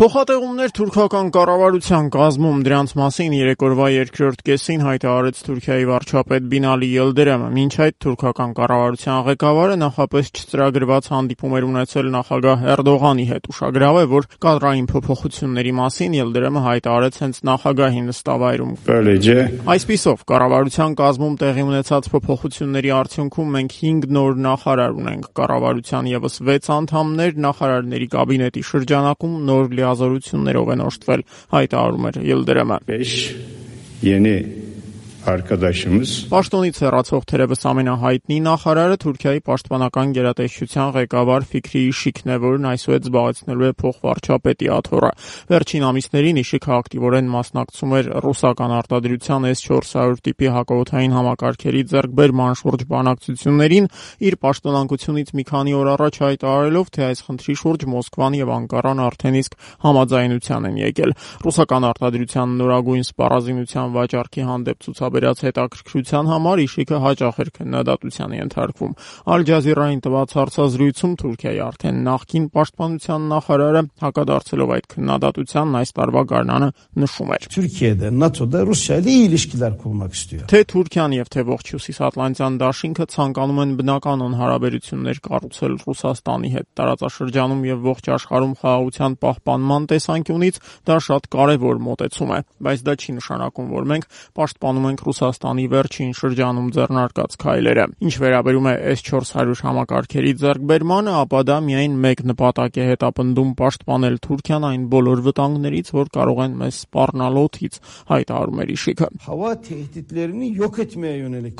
Փոխատեղումներ թուրքական կառավարության կազմում, դրանց մասին երեկորվա երկրորդ կեսին հայտարարեց Թուրքիայի վարչապետ Բինալի Յիլդիրամը։ Մինչ այդ թուրքական կառավարության ղեկավարը նախապես չծրագրված հանդիպում էր ունեցել նախագահ Էրդողանի հետ։ Ուշագրավ է, որ կադրային փոփոխությունների մասին Յիլդիրամը հայտարարեց հենց նախագահի նստավայրում։ Այսպիսով, կառավարության կազմում տեղի ունեցած փոփոխությունների արդյունքում մենք 5 նոր նախարար ունենք։ Կառավարության ևս 6 անդամներ նախարարների կաբինետի շրջանակում նոր լիազորություններով են օժտվել, հայտարարում էր Յիլդիրամը։ Պաշտոնից հեռացող թերևս ամենահայտնի նախարարը Թուրքիայի պաշտպանական գերատեսչության ղեկավար Ֆիքրի Իշիկն է, որն այսուհետ զբաղեցնելու է փոխվարչապետի աթոռը։ Վերջին ամիսներին Իշիկը ակտիվորեն մասնակցում էր ռուսական արտադրության S-400 տիպի հակաօդային համակարգերի ձեռքբերման շուրջ բանակցություններին, իր պաշտոնանկությունից մի քանի օր առաջ հայտարարելով, թե այս խնդրի շուրջ Մոսկվան եւ Անկարան արդեն իսկ համաձայնության են եկել։ Ռուսական արտադրության նորագույն սպառազինության վաճառքի հանդեպ ցուցաբերած հետաքրքրության համար Իշիկը հաճախ էր քննադատության ենթարկվում։ Ալ Ջազիրային տված հարցազրույցում Թուրքիայի արդեն նախկին պաշտպանության նախարարը հակադարձելով այդ քննադատությանն այս տարվա գարնանը նշում էր. Թե Թուրքիան եւ թե ողջ Հյուսիսատլանտյան դաշինքը ցանկանում են բնականon հարաբերություններ կառուցել Ռուսաստանի հետ տարածաշրջանում եւ ողջ աշխարհում խաղաղության պահպանման տեսանկյունից դա շատ կարեւոր մոտեցում է, բայց դա չի նշանակում, որ մենք պաշտպանում ենք Ռուսաստանի վերջին շրջանում ձեռնարկած քայլերը։ Ինչ վերաբերում է S-400 համակարգերի ձեռքբերմանը, ապա դա միայն մեկ նպատակ է հետապնդում պաշտպանել Թուրքիան այն բոլոր վտանգներից, որ կարող են մեզ սպառնալ օդից, հայտարարում էր Իշիկը։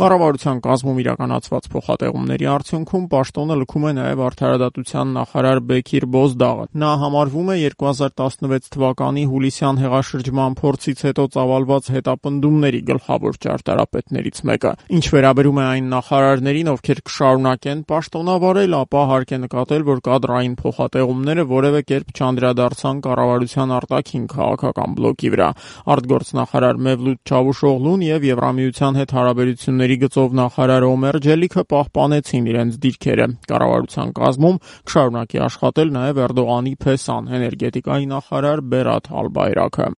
Կառավարության կազմում իրականացված փոխատեղումների արդյունքում պաշտոնը լքում է նաև արդարադատության նախարար Բեքիր Բոզդաղը։ Նա համարվում է 2016 թվականի հուլիսյան հեղաշրջման փորձից հետո ծավալված հետապնդումների գլխավոր ճարտարապետներից մեկը։ Ինչ վերաբերում է այն նախարարներին, ովքեր կշարունակեն պաշտոնավարել, ապա հարկ է նկատել, որ կադրային փոխատեղումները որևէ կերպ չանդրադարձան կառավարության արտաքին քաղաքական բլոկի վրա։ Արտգործնախարար Մևլութ Չավուշօղլուն եւ Եվրամիության հետ հարաբերությունների գծով նախարար Օմեր Ջելիքը պահպանեցին իրենց դիրքերը։ Կառավարության կազմում կշարունակի աշխատել նաև Էրդողանի փեսան, էներգետիկայի նախարար Բերաթ Ալբայրակը։